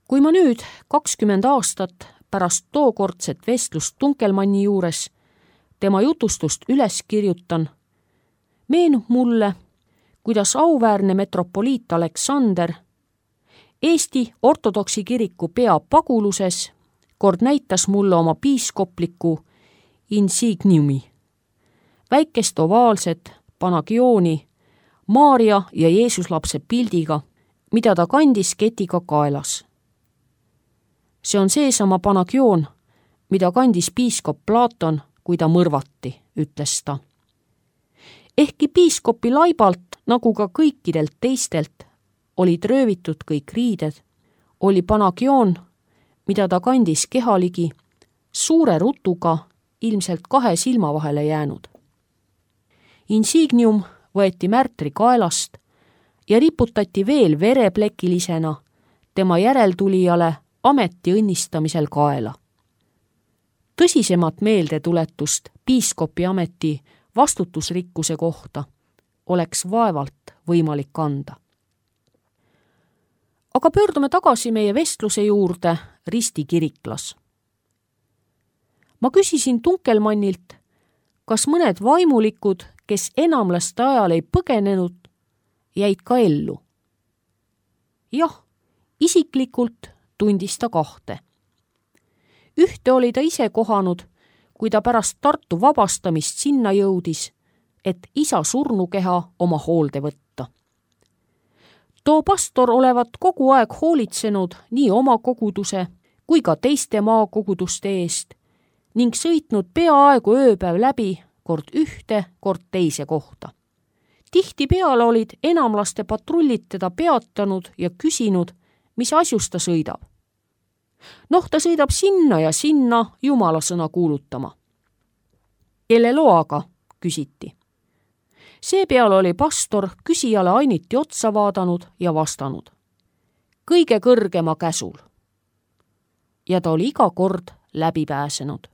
Kui ma nüüd 20 aastat pärast tookordset vestlust Tunkelmanni juures tema jutustust üles kirjutan, meenub mulle, kuidas auväärne metropoliit Aleksander Eesti ortodoksi kiriku peapaguluses kord näitas mulle oma piiskopliku insigniumi, väikest ovaalset Panagiooni Maaria ja Jeesuslapse pildiga, mida ta kandis ketiga kaelas. See on seesama Panagion, mida kandis piiskop Platon, kui ta mõrvati, ütles ta. Ehkki piiskopi laibalt, nagu ka kõikidelt teistelt, olid röövitud kõik riided, oli Panagion, mida ta kandis kehaligi, suure rutuga ilmselt 2 silma vahele jäänud. Insignium võeti märtri kaelast ja riputati veel vereplekilisena tema järeltulijale ameti õnnistamisel kaela. Tõsisemat meeldetuletust piiskopi ameti vastutusrikkuse kohta oleks vaevalt võimalik anda. Aga pöördume tagasi meie vestluse juurde Risti kiriklas. Ma küsisin Tunkelmannilt, kas mõned vaimulikud, kes enamlaste ajal ei põgenenud, jäid ka ellu. Jah, isiklikult tundis ta 2. Ühte oli ta ise kohanud, kui ta pärast Tartu vabastamist sinna jõudis, et isa surnukeha oma hoolde võtta. Too pastor olevat kogu aeg hoolitsenud nii oma koguduse kui ka teiste maakoguduste eest ning sõitnud peaaegu ööpäev läbi kord ühte, kord teise kohta. Tihtipeale olid enamlaste patrullid teda peatanud ja küsinud, mis asjus ta sõidab. Ta sõidab sinna ja sinna Jumala sõna kuulutama. Kelle loaga, küsiti. Seepeale oli pastor küsijale ainiti otsa vaadanud ja vastanud. Kõige kõrgema käsul. Ja ta oli iga kord läbi pääsenud.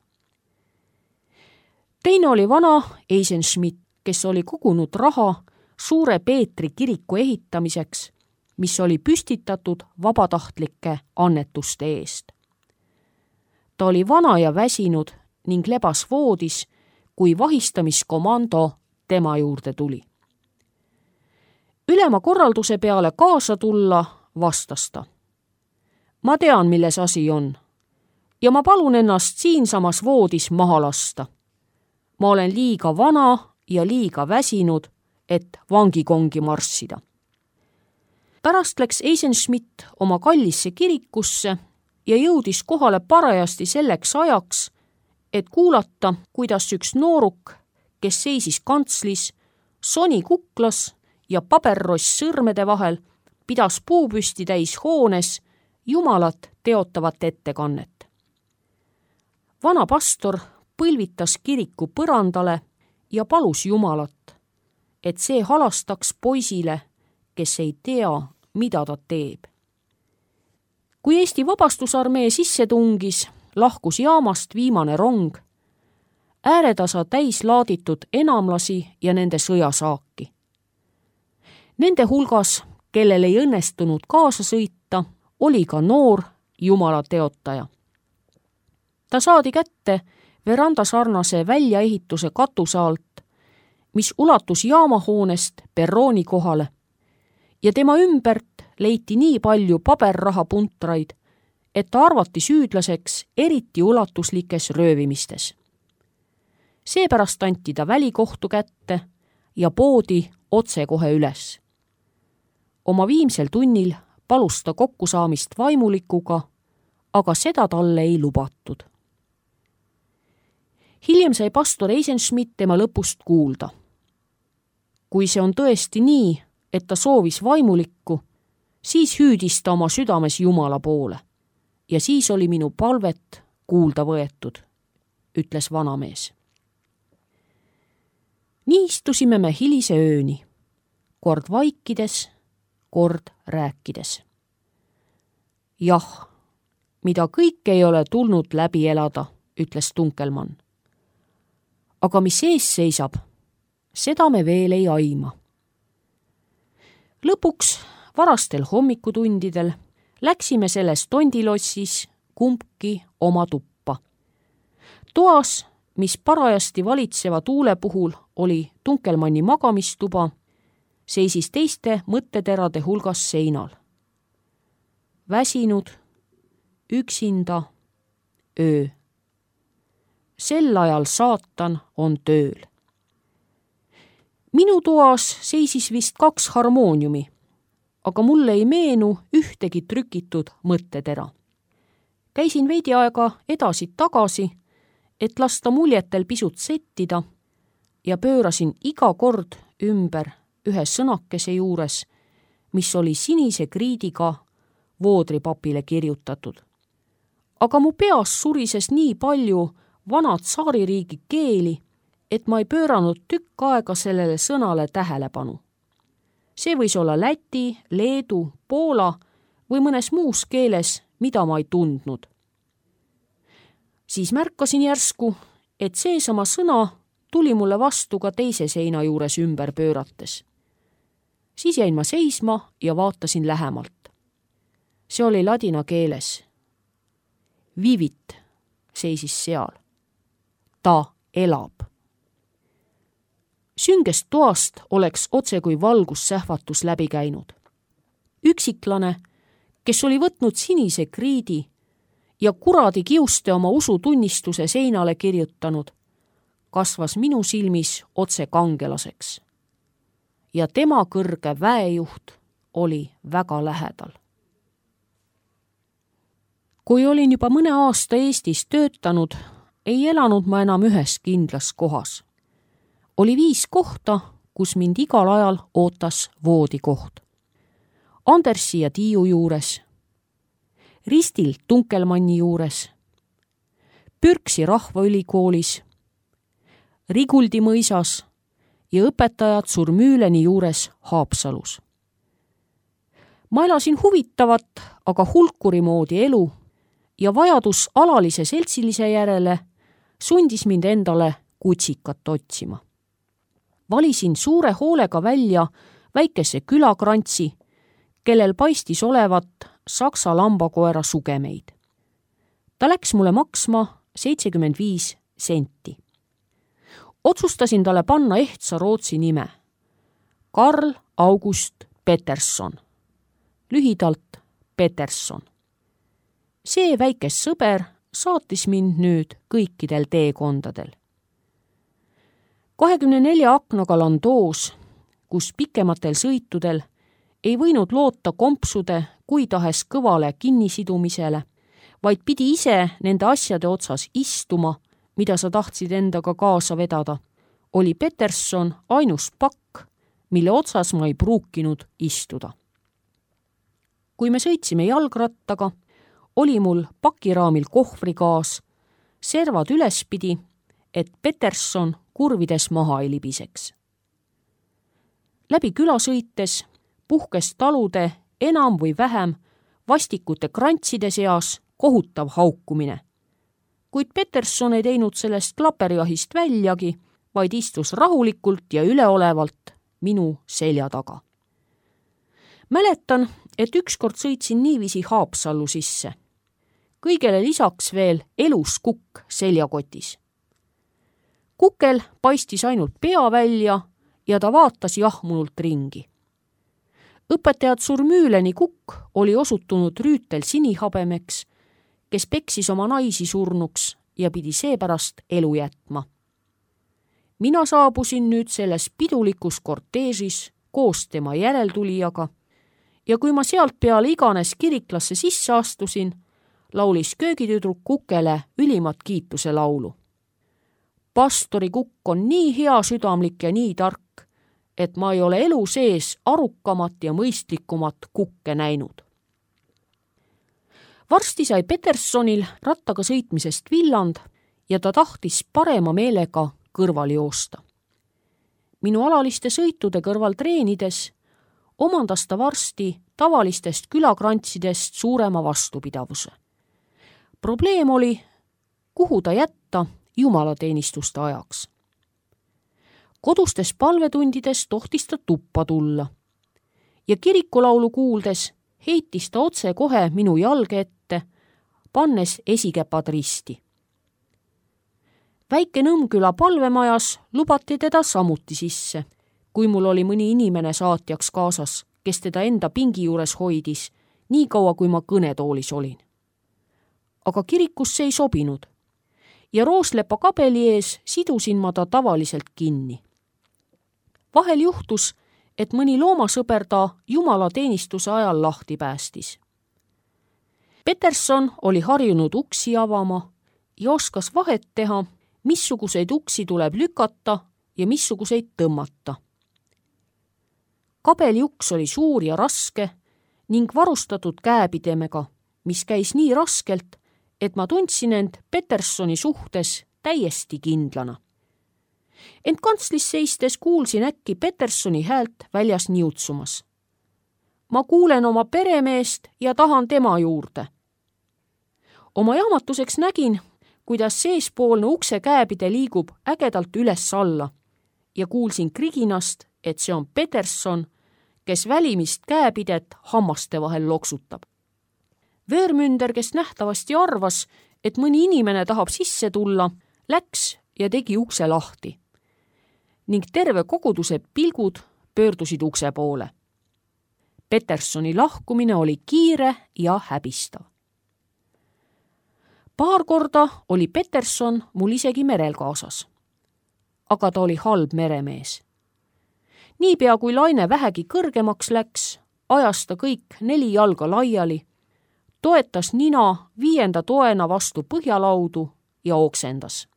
Teine oli vana Eisenschmidt, kes oli kogunud raha Suure Peetri kiriku ehitamiseks, mis oli püstitatud vabatahtlike annetuste eest. Ta oli vana ja väsinud ning lebas voodis, kui vahistamiskomando tema juurde tuli. Ülema korralduse peale kaasa tulla, vastas ta. Ma tean, milles asi on ja ma palun ennast siinsamas voodis maha lasta. Ma olen liiga vana ja liiga väsinud, et vangikongi marssida. Pärast läks Eisenschmidt oma kallisse kirikusse ja jõudis kohale parajasti selleks ajaks, et kuulata, kuidas üks nooruk, kes seisis kantslis, soni kuklas ja paberross sõrmede vahel, pidas puupüsti täis hoones Jumalat teotavat ettekannet. Vana pastor põlvitas kiriku põrandale ja palus Jumalat, et see halastaks poisile, kes ei tea, mida ta teeb. Kui Eesti Vabastusarmee sisse tungis, lahkus jaamast viimane rong, ääretasa täis laaditud enamlasi ja nende sõjasaaki. Nende hulgas, kellel ei õnnestunud kaasa sõita, oli ka noor Jumala teotaja. Ta saadi kätte verandasarnase väljaehituse katuse alt, mis ulatus jaamahoonest perrooni kohale ja tema ümbert leiti nii palju paberrahapuntraid, et ta arvati süüdlaseks eriti ulatuslikes röövimistes. Seepärast anti ta välikohtu kätte ja poodi otsekohe üles. Oma viimsel tunnil palus ta kokkusaamist vaimulikuga, aga seda talle ei lubatud. Hiljem sai pastor Eisenschmidt tema lõpust kuulda. Kui see on tõesti nii, et ta soovis vaimulikku, siis hüüdis ta oma südames Jumala poole. Ja siis oli minu palvet kuulda võetud, ütles vanamees. Nii istusime me hilise ööni, kord vaikides, kord rääkides. Jah, mida kõik ei ole tulnud läbi elada, ütles Tunkelmann. Aga mis ees seisab, seda me veel ei aima. Lõpuks, varastel hommikutundidel, läksime selles tondilossis kumbki oma tuppa. Toas, mis parajasti valitseva tuule puhul oli Tunkelmanni magamistuba, seisis teiste mõtteterade hulgas seinal. Väsinud, üksinda, öö. Sel ajal saatan on tööl. Minu toas seisis vist 2 harmooniumi, aga mulle ei meenu ühtegi trükitud mõttetera. Käisin veidi aega edasi-tagasi, et lasta muljetel pisut settida ja pöörasin iga kord ümber ühe sõnakese juures, mis oli sinise kriidiga voodripapile kirjutatud. Aga mu peas surises nii palju vanad saaririigi keeli, et ma ei pööranud tükk aega sellele sõnale tähelepanu. See võis olla läti, leedu, poola või mõnes muus keeles, mida ma ei tundnud. Siis märkasin järsku, et seesama sõna tuli mulle vastu ka teise seina juures ümber pöörates. Siis jäin ma seisma ja vaatasin lähemalt. See oli ladina keeles. Vivit seisis seal. Ta elab. Süngest toast oleks otse kui valgussähvatus läbi käinud. Üksiklane, kes oli võtnud sinise kriidi ja kuradi kiuste oma usutunnistuse seinale kirjutanud, kasvas minu silmis otse kangelaseks. Ja tema kõrge väejuht oli väga lähedal. Kui olin juba mõne aasta Eestis töötanud, ei elanud ma enam ühes kindlas kohas. Oli 5 kohta, kus mind igal ajal ootas voodikoht. Andersi ja Tiiu juures, Ristil Tunkelmanni juures, Pürksi rahvaülikoolis, Riguldi mõisas ja õpetajad Surmüüleni juures Haapsalus. Ma elasin huvitavat, aga hulkuri moodi elu ja vajadus alalise seltsilise järele sundis mind endale kutsikat otsima. Valisin suure hoolega välja väikese külakrantsi, kellel paistis olevat saksa lambakoera sugemeid. Ta läks mulle maksma 75 senti. Otsustasin talle panna ehtsa Rootsi nime. Karl August Peterson. Lühidalt Peterson. See väikes sõber saatis mind nüüd kõikidel teekondadel. 24 aknaga landoos, kus pikematel sõitudel ei võinud loota kompsude kui tahes kõvale kinnisidumisele, vaid pidi ise nende asjade otsas istuma, mida sa tahtsid endaga kaasa vedada, oli Peterson ainus pakk, mille otsas ma ei pruukinud istuda. Kui me sõitsime jalgrattaga, oli mul pakiraamil kohvrikaas, servad ülespidi, et Peterson kurvides maha ei libiseks. Läbi küla sõites puhkes talude enam või vähem vastikute krantside seas kohutav haukumine. Kuid Peterson ei teinud sellest klaperjahist väljagi, vaid istus rahulikult ja üleolevalt minu selja taga. Mäletan, et ükskord sõitsin niiviisi Haapsallu sisse. Kõigele lisaks veel elus kukk seljakotis. Kukel paistis ainult pea välja ja ta vaatas jahmunult ringi. Õpetajad Surmüüleni kukk oli osutunud rüütel sinihabemeks, kes peksis oma naisi surnuks ja pidi seepärast elu jätma. Mina saabusin nüüd selles pidulikus korteežis koos tema järeltulijaga ja kui ma sealt peale iganes kiriklasse sisse astusin, laulis köögitüdruk Kukele ülimat kiituse laulu. Pastori kukk on nii hea südamlik ja nii tark, et ma ei ole elu sees arukamat ja mõistlikumat kukke näinud. Varsti sai Petersonil rattaga sõitmisest villand ja ta tahtis parema meelega kõrval joosta. Minu alaliste sõitude kõrval treenides omandas ta varsti tavalistest külakrantsidest suurema vastupidavuse. Probleem oli, kuhu ta jätta jumalateenistuste ajaks. Kodustes palvetundides tohtis ta tuppa tulla ja kirikulaulu kuuldes heitis ta otse kohe minu jalge ette, pannes esikäpad risti. Väike Nõmmküla palvemajas lubati teda samuti sisse, kui mul oli mõni inimene saatjaks kaasas, kes teda enda pingi juures hoidis, nii kaua kui ma kõnetoolis olin. Aga kirikusse ei sobinud ja rooslepa kabeli ees sidusin ma ta tavaliselt kinni. Vahel juhtus, et mõni loomasõber ta jumalateenistuse ajal lahti päästis. Peterson oli harjunud uksi avama ja oskas vahet teha, missuguseid uksi tuleb lükata ja missuguseid tõmmata. Kabeli uks oli suur ja raske ning varustatud käepidemega, mis käis nii raskelt, et ma tundsin end Petersoni suhtes täiesti kindlana. Ent kantslis seistes kuulsin äkki Petersoni häält väljas niutsumas. Ma kuulen oma peremeest ja tahan tema juurde. Oma jahmatuseks nägin, kuidas seespoolne ukse käepide liigub ägedalt üles-alla ja kuulsin kriginast, et see on Peterson, kes välimist käepidet hammaste vahel loksutab. Vöörmünder, kes nähtavasti arvas, et mõni inimene tahab sisse tulla, läks ja tegi ukse lahti ning terve koguduse pilgud pöördusid ukse poole. Petersoni lahkumine oli kiire ja häbistav. Paar korda oli Peterson mul isegi merel kaasas, aga ta oli halb meremees. Niipea kui laine vähegi kõrgemaks läks, ajas ta kõik 4 jalga laiali, toetas nina 5. toena vastu põhjalaudu ja oksendas.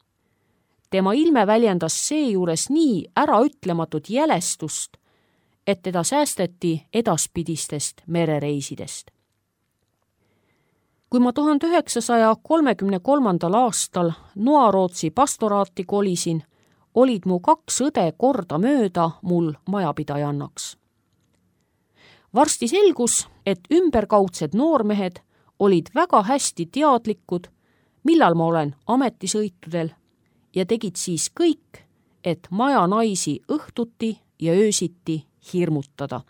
Tema ilme väljendas seejuures nii äraütlematut jälestust, et teda säästeti edaspidistest merereisidest. Kui ma 1933. aastal Noarootsi pastoraati kolisin, olid mu 2 õde korda mööda mul majapidajannaks. Varsti selgus, et ümberkaudsed noormehed olid väga hästi teadlikud, millal ma olen ametisõitudel ja tegid siis kõik, et maja naisi õhtuti ja öösiti hirmutada.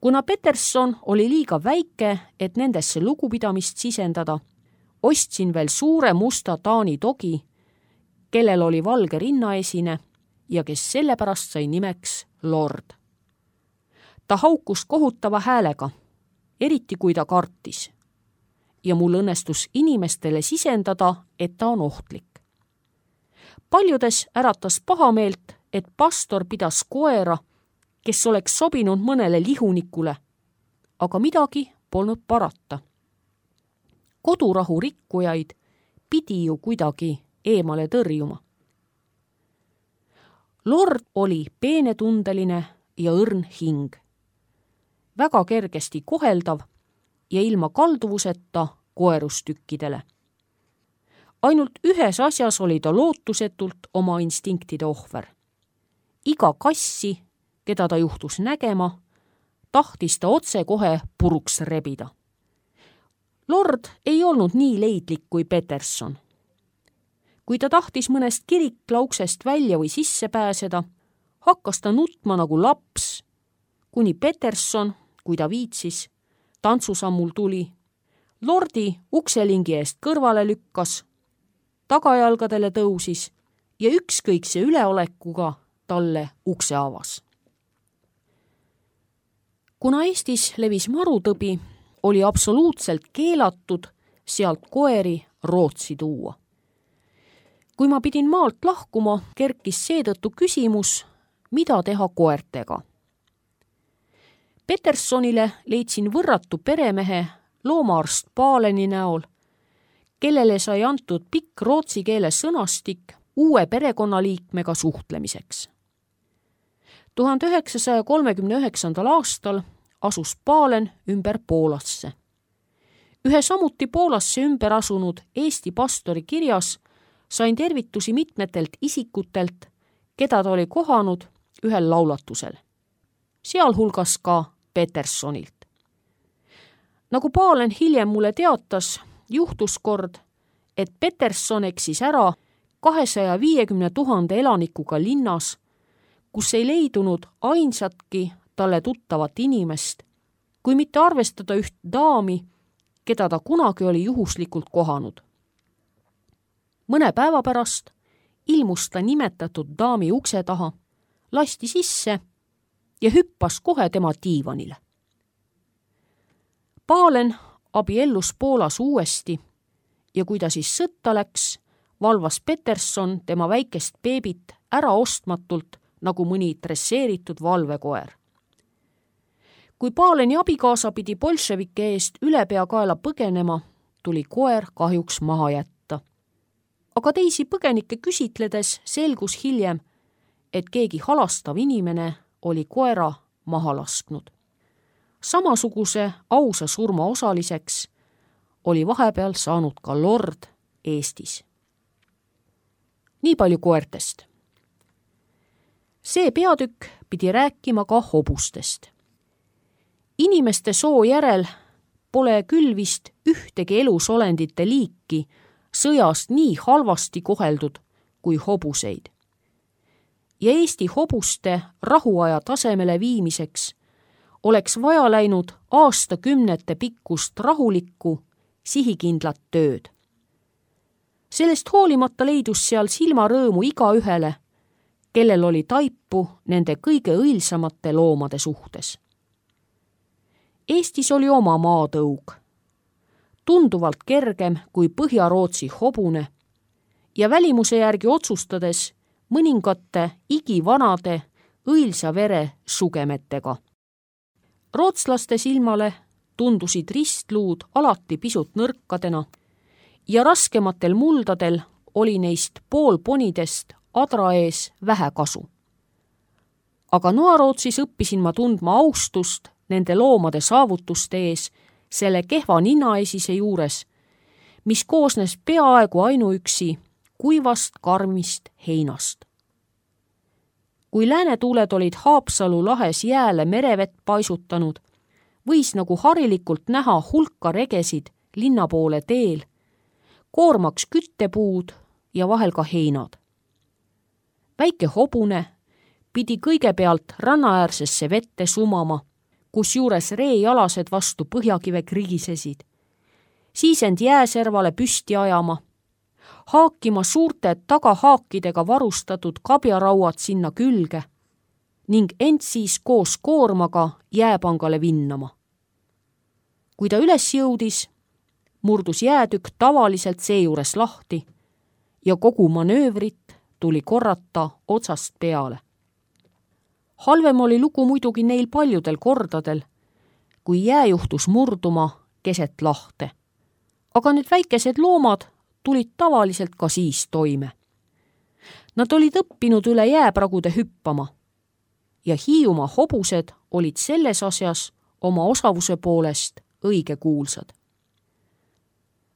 Kuna Peterson oli liiga väike, et nendesse lugupidamist sisendada, ostsin veel suure musta Taani dogi, kellel oli valge rinnaesine ja kes sellepärast sai nimeks Lord. Ta haukus kohutava häälega, eriti kui ta kartis, ja mul õnnestus inimestele sisendada, et ta on ohtlik. Paljudes äratas pahameelt, et pastor pidas koera, kes oleks sobinud mõnele lihunikule, aga midagi polnud parata. Kodurahu rikkujaid pidi ju kuidagi eemale tõrjuma. Lord oli peenetundeline ja õrn hing, väga kergesti koheldav ja ilma kalduvuseta koerustükkidele. Ainult ühes asjas oli ta lootusetult oma instinktide ohver. Iga kassi, keda ta juhtus nägema, tahtis ta otse kohe puruks rebida. Lord ei olnud nii leidlik kui Peterson. Kui ta tahtis mõnest kiriklauksest välja või sisse pääseda, hakkas ta nutma nagu laps, kuni Peterson, kui ta viitsis, tantsusammul tuli, Lordi ukselingi eest kõrvale lükkas, tagajalgadele tõusis ja ükskõikse üleolekuga talle ukse avas. Kuna Eestis levis marutõbi, oli absoluutselt keelatud sealt koeri Rootsi tuua. Kui ma pidin maalt lahkuma, kerkis seetõttu küsimus, mida teha koertega. Petersonile leidsin võrratu peremehe loomaarst Paaleni näol, kellele sai antud pikk rootsi keele sõnastik uue perekonnaliikmega suhtlemiseks. 1939. aastal asus Paalen ümber Poolasse. Ühe samuti Poolasse ümber asunud Eesti pastori kirjas sain tervitusi mitmetelt isikutelt, keda ta oli kohanud ühel laulatusel, sealhulgas ka Petersonilt. Nagu Paalen hiljem mulle teatas, juhtus kord, et Peterson eksis ära 250 000 elanikuga linnas, kus ei leidunud ainsatki talle tuttavat inimest kui mitte arvestada üht daami, keda ta kunagi oli juhuslikult kohanud. Mõne päeva pärast ilmus ta nimetatud daami ukse taha, lasti sisse ja hüppas kohe tema diivanile. Pahlen abiellus Poolas uuesti ja kui ta siis sõtta läks, valvas Peterson tema väikest beebit äraostmatult nagu mõni dresseeritud valvekoer. Kui Pahleni abikaasa pidi bolševike eest ülepeakaela põgenema, tuli koer kahjuks maha jätta. Aga teisi põgenikke küsitledes selgus hiljem, et keegi halastav inimene oli koera maha lasknud. Samasuguse ausa surma osaliseks oli vahepeal saanud ka lord Eestis. Nii palju koertest. See peatükk pidi rääkima ka hobustest. Inimeste soo järel pole küll vist ühtegi elusolendite liiki sõjast nii halvasti koheldud kui hobuseid. Ja Eesti hobuste rahuaja tasemele viimiseks oleks vaja läinud aastakümnete pikkust rahulikku, sihikindlat tööd. Sellest hoolimata leidus seal silmarõõmu igaühele, kellel oli taipu nende kõige õilsamate loomade suhtes. Eestis oli oma maatõug, tunduvalt kergem kui Põhja-Rootsi hobune ja välimuse järgi otsustades mõningate igivanade õilsa vere sugemetega. Rootslaste silmale tundusid ristluud alati pisut nõrkadena ja raskematel muldadel oli neist poolponidest adra ees vähe kasu. Aga Noarootsis õppisin ma tundma austust nende loomade saavutuste ees selle kehva ninaesise juures, mis koosnes peaaegu ainuüksi kuivast karmist heinast. Kui läänetuuled olid Haapsalu lahes jääle merevett paisutanud, võis nagu harilikult näha hulka regesid linna poole teel, koormaks küttepuud ja vahel ka heinad. Väike hobune pidi kõigepealt rannaäärsesse vette sumama, kusjuures reejalased vastu põhjakive krigisesid, siis end jääservale püsti ajama, haakima suurte tagahaakidega varustatud kabjarauad sinna külge ning end siis koos koormaga jääpangale vinnama. Kui ta üles jõudis, murdus jäätükk tavaliselt seejuures lahti ja kogu manöövrit tuli korrata otsast peale. Halvem oli lugu muidugi neil paljudel kordadel, kui jää juhtus murduma keset lahte. Aga need väikesed loomad tulid tavaliselt ka siis toime. Nad olid õppinud üle jääpragude hüppama ja Hiiumaa hobused olid selles asjas oma osavuse poolest õigekuulsad.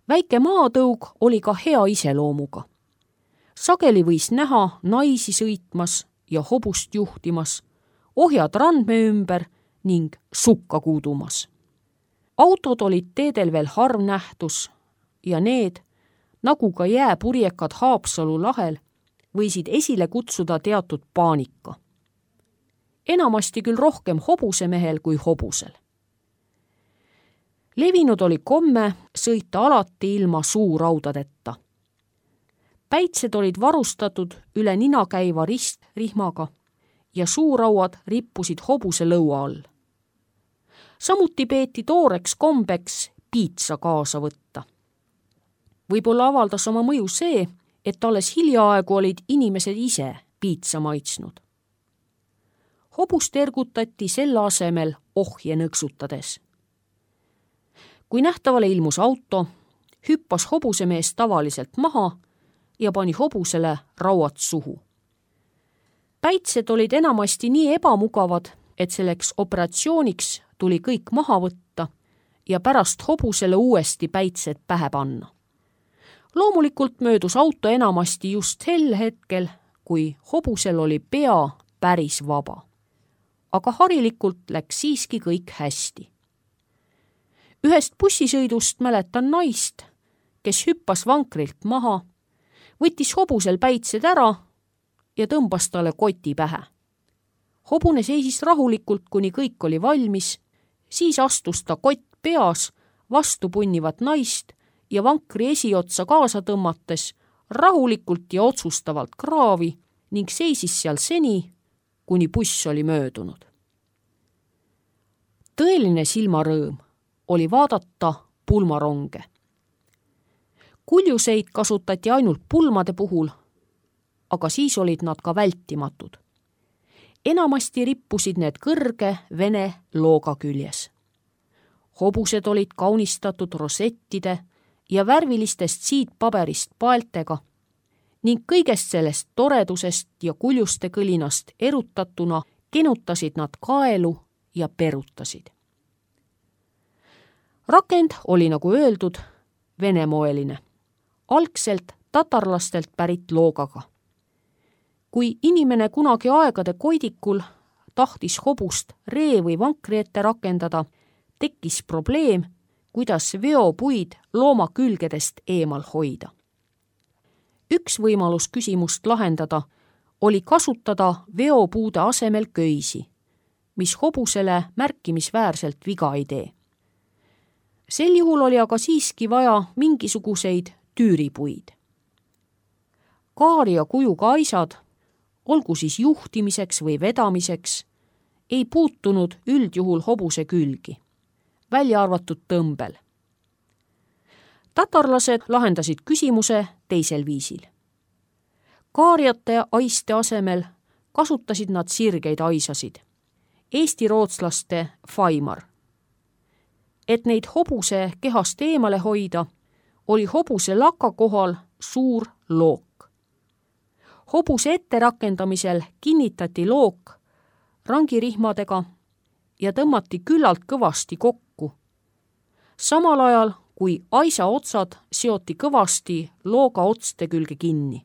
Väike maatõug oli ka hea iseloomuga. Sageli võis näha naisi sõitmas ja hobust juhtimas, ohjad randme ümber ning sukka kuudumas. Autod olid teedel veel harv nähtus ja need, nagu ka jääpurjekad Haapsalu lahel, võisid esile kutsuda teatud paanika. Enamasti küll rohkem hobusemehel kui hobusel. Levinud oli komme sõita alati ilma suuraudadeta. Päitsed olid varustatud üle nina käiva ristrihmaga ja suurauad rippusid hobuse lõua all. Samuti peeti tooreks kombeks piitsa kaasa võtta. Võib-olla avaldas oma mõju see, et alles hiljaaegu olid inimesed ise piitsa maitsnud. Hobust ergutati selle asemel ohje nõksutades. Kui nähtavale ilmus auto, hüppas hobusemees tavaliselt maha ja pani hobusele rauad suhu. Päitsed olid enamasti nii ebamugavad, et selleks operatsiooniks tuli kõik maha võtta ja pärast hobusele uuesti päitsed pähe panna. Loomulikult möödus auto enamasti just sel hetkel, kui hobusel oli pea päris vaba. Aga harilikult läks siiski kõik hästi. Ühest bussisõidust mäletan naist, kes hüppas vankrilt maha, võttis hobusel päitsed ära ja tõmbas talle koti pähe. Hobune seisis rahulikult, kuni kõik oli valmis, Siis astus ta kott peas vastu punnivat naist ja vankri esiotsa kaasa tõmmates rahulikult ja otsustavalt kraavi ning seisis seal seni, kuni buss oli möödunud. Tõeline silmarõõm oli vaadata pulmaronge. Kuljuseid kasutati ainult pulmade puhul, aga siis olid nad ka vältimatud. Enamasti rippusid need kõrge vene looga küljes. Hobused olid kaunistatud rosettide ja värvilistest siitpaberist paeltega ning kõigest sellest toredusest ja kuljuste kõlinast erutatuna kenutasid nad kaelu ja perutasid. Rakend oli, nagu öeldud, venemoeline, algselt tatarlastelt pärit loogaga. Kui inimene kunagi aegade koidikul tahtis hobust ree või vankri ette rakendada, tekkis probleem, kuidas veopuid looma külgedest eemal hoida. Üks võimalus küsimust lahendada oli kasutada veopuude asemel köisi, mis hobusele märkimisväärselt viga ei tee. Sel juhul oli aga siiski vaja mingisuguseid tüüripuid. Kaaria kujuga aisad, olgu siis juhtimiseks või vedamiseks, ei puutunud üldjuhul hobuse külgi, välja arvatud tõmbel. Tatarlased lahendasid küsimuse teisel viisil. Kaariate aiste asemel kasutasid nad sirgeid aisasid, eesti-rootslaste faimar. Et neid hobuse kehast eemale hoida, oli hobuse laka kohal suur look. Hobuse etterakendamisel kinnitati look rangirihmadega ja tõmmati küllalt kõvasti kokku. Samal ajal, kui aisa otsad seoti kõvasti looga otste külge kinni.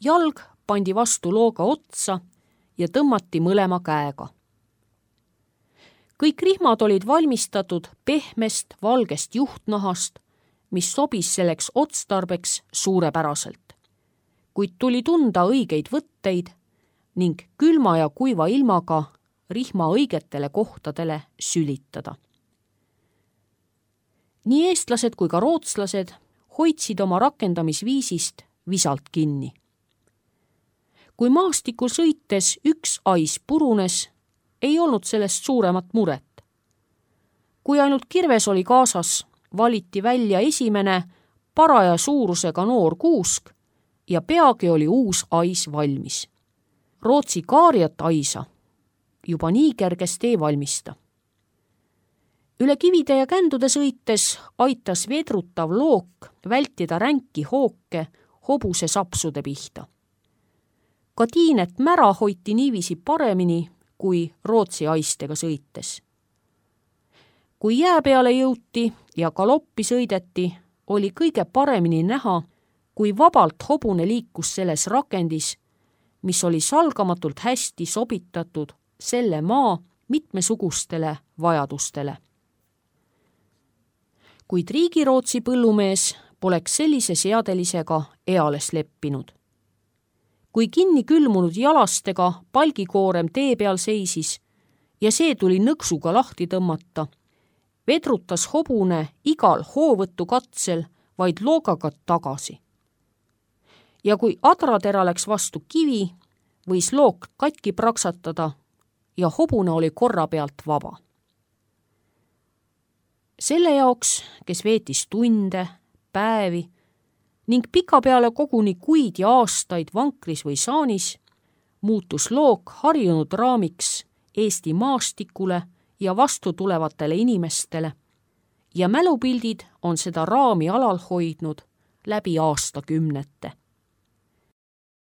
Jalg pandi vastu looga otsa ja tõmmati mõlema käega. Kõik rihmad olid valmistatud pehmest valgest juhtnahast, mis sobis selleks otstarbeks suurepäraselt. Kuid tuli tunda õigeid võtteid ning külma ja kuiva ilmaga rihma õigetele kohtadele sülitada. Nii eestlased kui ka rootslased hoidsid oma rakendamisviisist visalt kinni. Kui maastikul sõites üks ais purunes, ei olnud sellest suuremat muret. Kui ainult kirves oli kaasas, valiti välja esimene paraja suurusega noor kuusk ja peagi oli uus ais valmis. Rootsi kaariat aisa juba nii kergesti ei valmista. Üle kivide ja kändude sõites aitas vedrutav look vältida ränki hooke hobuse sapsude pihta. Ka tiinet mära hoiti niiviisi paremini kui Rootsi aistega sõites. Kui jää peale jõuti ja galoppi sõideti, oli kõige paremini näha, kui vabalt hobune liikus selles rakendis, mis oli salgamatult hästi sobitatud selle maa mitmesugustele vajadustele. Kuid Riigirootsi põllumees poleks sellise seadelisega eales leppinud. Kui kinni külmunud jalastega palgikoorem tee peal seisis ja see tuli nõksuga lahti tõmmata, vedrutas hobune igal hoovõttu katsel vaid loogaga tagasi. Ja kui adratera läks vastu kivi, võis look katki praksatada ja hobune oli korra pealt vaba. Selle jaoks, kes veetis tunde, päevi ning pikapeale koguni kuid ja aastaid vankris või saanis, muutus look harjunud raamiks Eesti maastikule ja vastu tulevatele inimestele ja mälupildid on seda raami alal hoidnud läbi aastakümnete.